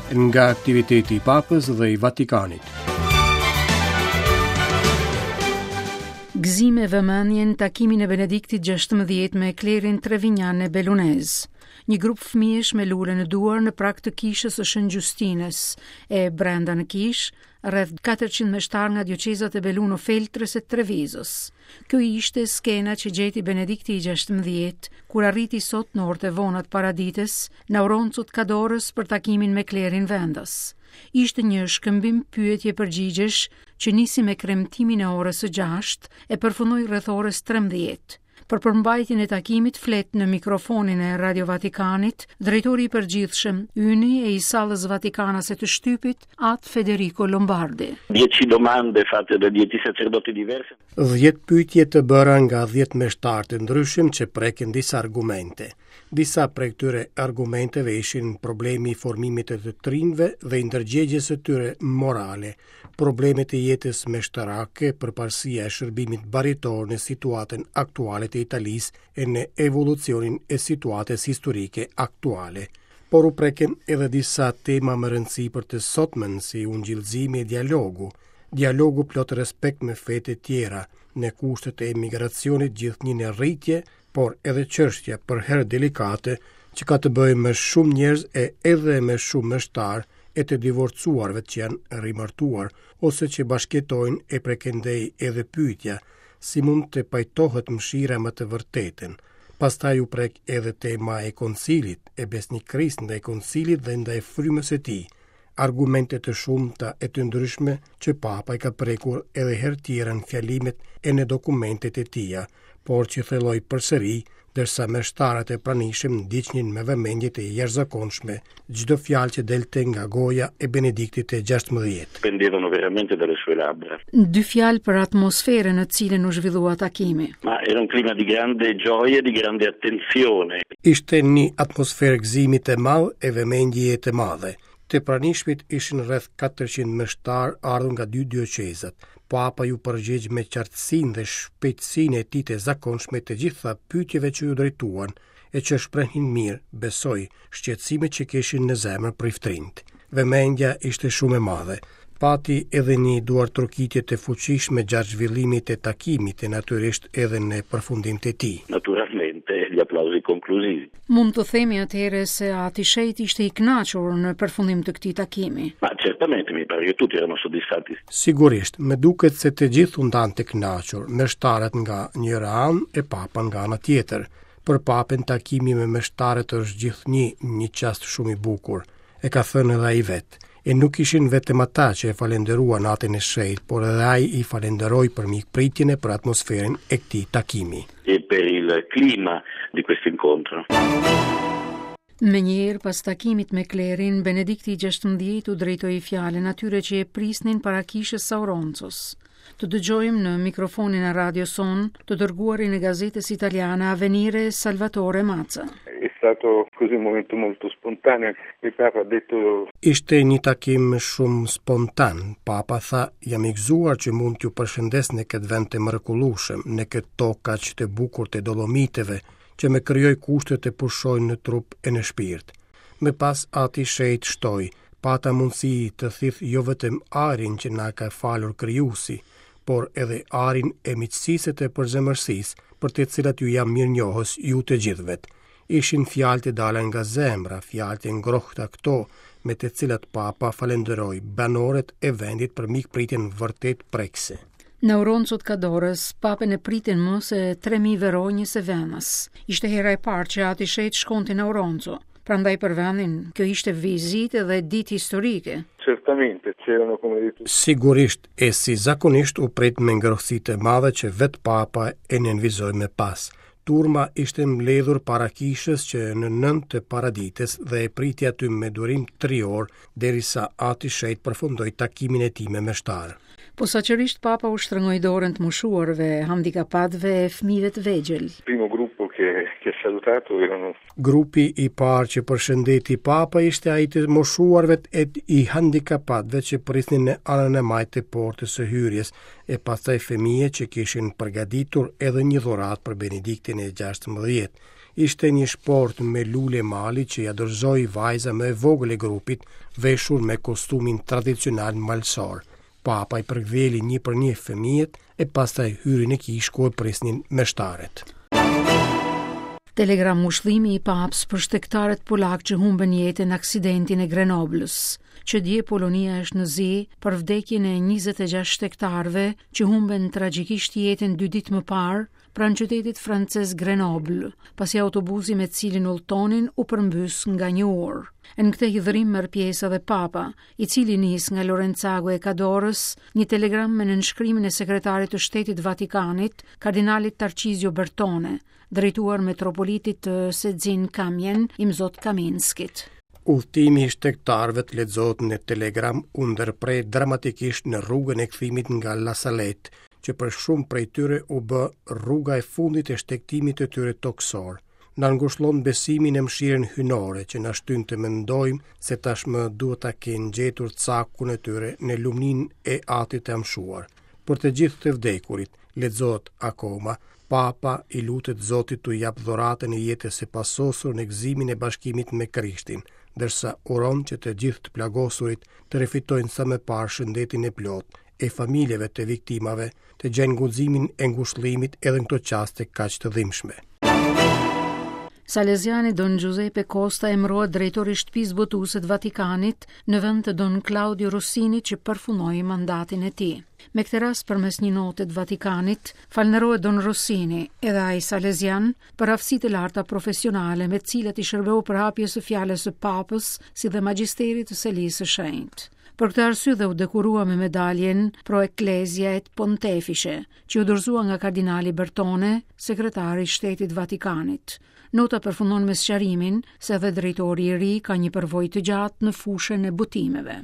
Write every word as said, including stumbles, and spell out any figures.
Nga aktiviteti i Papës dhe i Vatikanit. Gëzime vëmendje në takimin e Benediktit gjashtëmbëdhjetë me klerin Trevinjan e Belunez. Një grup fëmijësh me lule në duar në prag të kishës së Shën Gjustinës, e brenda në kishë, rreth katërqind meshtar nga dioqezat e Belluno Feltrës e Trevizos. Kjo ishte skena që gjeti Benedikti i gjashtëmbëdhjetë, kur arriti sot në orët e vona të paradites, në Auronzo të Kadorës për takimin me klerin vendas. Ishte një shkëmbim pyetje përgjigjesh që nisi me kremtimin e orës së gjashtë e përfundoi rreth orës trembëdhjetë. Për përmbajtjen e takimit flet në mikrofonin e Radio Vatikanit, drejtori i përgjithshëm, yni e i sallës Vatikanase të shtypit, At Federico Lombardi. Dieci domande fatte da dieci sacerdoti diversi. Dhjetë pyetje të bëra nga dhjetë meshtarë të ndryshëm që prekin disa argumente. Disa prej këtyre argumenteve ishin problemi i formimit të të trinjve dhe i ndërgjegjes së tyre morale, problemet e jetës meshtarake, përparësia e shërbimit baritor në situatën aktuale të Italisë e në evolucionin e situatës historike aktuale. Por u preken edhe disa tema më rëndësi për të sotmen, si ungjillzimi e dialogu. Dialogu plot respekt me fetë e tjera, në kushtet e emigracionit gjithnjë në rritje, por edhe çështja për herë delikate që ka të bëjë me shumë njerëz e edhe me shumë meshtar e të divorcuarve që janë rimartuar ose që bashkëjetojnë e prekendej edhe pyetja si mund të pajtohet mëshira me të vërtetën. Pastaj u prek edhe tema e koncilit, e besnikërisë ndaj koncilit dhe ndaj frymës së tij, argumente të shumta e të ndryshme që Papa i ka prekur edhe herë tjera në fjalimet e në dokumentet e tija, por që thelloi përsëri, ndërsa meshtarët e pranishëm ndiqnin me vëmendje të jashtëzakonshme çdo fjalë që delte nga goja e Benediktit të gjashtëmbëdhjetë. Pendevano veramente dalle sue labbra. Dy fjalë për atmosferën në cilën u zhvillua takimi. Ma era un clima di grande gioia, di grande attenzione. Ishte një atmosferë gëzimi të madh e vëmendjeje të madhe. Të pranishmit ishin rreth katërqind meshtar ardhur nga dy dioqezat. Papa ju përgjigj me qartësinë dhe shpejtësinë e tij të zakonshme të gjitha pyetjeve që ju drejtuan e që shprehnin mirë, besoj, shqetësimet që kishin në zemër priftrinjt. Vëmendja ishte shumë e madhe. Pati edhe një duartrokitje të fuqishme gjatë zhvillimit të takimit e natyrisht edhe në përfundim të tij. Naturalmente gli applausi conclusivi. Mund të themi atëherë se Ati Shenjt ishte i kënaqur në përfundim të këtij takimi. Ma certamente mi pare che tutti erano soddisfatti. Sigurisht, më duket se të gjithë u ndanë të kënaqur, meshtarët nga njëra anë e Papa nga ana tjetër. Për Papën takimi me meshtarët është gjithnjë një çast shumë i bukur, e ka thënë edhe ai vetë. E nuk ishin vetëm ata që e falenderuan Atin e Shenjtë, por edhe ai i falenderoi për mikpritjen e për atmosferën e këtij takimi. E per il clima di questo incontro. Me njëherë pas takimit me klerin, Benedikti i gjashtëmbëdhjetë u drejtoi fjalën atyre që e prisnin para kishës së Auroncos. Të dëgjojmë në mikrofonin e radios sonë të dërguarin e gazetës italiane Avvenire Salvatore Mazza. È stato così un momento molto spontaneo. Il Papa ha detto Ishte një takim shumë spontan. Papa tha, jam i gëzuar që mund t'ju përshëndes në këtë vend të mrekullueshëm, në këtë tokë aq të bukur të Dolomiteve, që më krijoi kushte të pushoj në trup e në shpirt. Më pas Ati Shenjt shtoi, pata mundësi të thith jo vetëm arin që na ka falur krijuesi, por edhe arin e miqësisë të përzemërsisë, për të cilat ju jam mirënjohës ju të gjithëve. Ishin fjalë të dala nga zemra, fjalë të ngrohta këto, me të cilat Papa falenderoi banorët e vendit për mikpritjen vërtet prekëse. Në Auronzo të Kadorës, Papën e pritën më se tre mijë veronjës e venës. Ishte hera e parë që Ati Shenjt shkonte në Auronzo. Prandaj për vendin, kjo ishte vizitë dhe ditë historike. Certamente, c'erano come detto. Sigurisht, e si zakonisht u prit me ngrohtësi të madhe që vetë Papa e nënvizoi më pas. Turma ishte mbledhur para kishës që në nëntë të paradites dhe e priti aty me durim tri orë derisa Ati Shenjt përfundoi takimin e tij me meshtarë. Posaçërisht Papa u shtrëngoi dorën të moshuarve, handikapatëve e fëmijëve të vegjël. Il primo gruppo che, che ha salutato erano Grupi i parë që përshëndeti Papa ishte ai të moshuarve e i handikapatëve që prisnin në anën e majtë të portës së hyrjes, e pastaj fëmijë që kishin përgatitur edhe një dhuratë për Benediktin e gjashtëmbëdhjetë. Ishte një shportë me lule mali që ja dorëzoi vajza më e vogël e grupit, veshur me kostumin tradicional malsor. Papa i përkëdheli një për një fëmijët e pastaj hyri në kishë ku e prisnin meshtarët. Telegram ngushëllimi i Papës për shtegtarët polak që humbën jetën në aksidentin e Grenoblës. Që dje Polonia është në zi për vdekjen e njëzet e gjashtë shtegtarëve që humbën tragjikisht jetën dy ditë më parë pranë qytetit francez Grenoble, pasi autobusi me cilin udhtonin u përmbys nga një urë. E në këtë hidhrim merr pjesë edhe Papa, i cili nis nga Lorenzago e Cadorës një telegram me nënshkrimin e sekretarit të Shtetit Vatikanit, kardinalit Tarcizio Bertone, drejtuar metropolitit të Sedzin Kamjen, Imzot Kaminskit. Udhëtimi i shtegtarëve të lexohet në telegram u ndërpre dramatikisht në rrugën e kthimit nga La Salette, që për shumë prej tyre u bë rruga e fundit e shtegtimit të tyre tokësor. Na ngushllon besimin e mëshirën hyjnore që na shtyn të mendojmë se tashmë duhet ta kenë gjetur cakun e tyre në lumninë e atit të amshuar. Për të gjithë të vdekurit, lexohet akoma, Papa i lutet Zotit t'u jap dhuratën e jetës së pasosur në gëzimin e bashkimit me Krishtin, ndërsa uron që të gjithë të plagosurit të rifitojnë sa më parë shëndetin e plotë e familjeve të viktimave të gjejnë guximin e ngushëllimit edhe në këto çaste kaq të dhimbshme. Salesiani Don Giuseppe Costa emërohet drejtor i shtëpisë botuese të Vatikanit në vend të Don Claudio Rossini që përfundoi mandatin e tij. Me këtë rast përmes një note të Vatikanit, falënderohet Don Rossini, edhe ai salesian, për aftësitë e larta profesionale me të cilat i shërbeu përhapjes së fjalës së Papës si dhe magjisterit të Selisë së Shenjtë. Për këtë arsye dhe u dekorua me medaljen Pro Ecclesia et Pontefice, që u dorëzua nga kardinali Bertone, sekretari i Shtetit Vatikanit. Nota përfundon me sqarimin se edhe drejtori i ri ka një përvojë të gjatë në fushën e botimeve.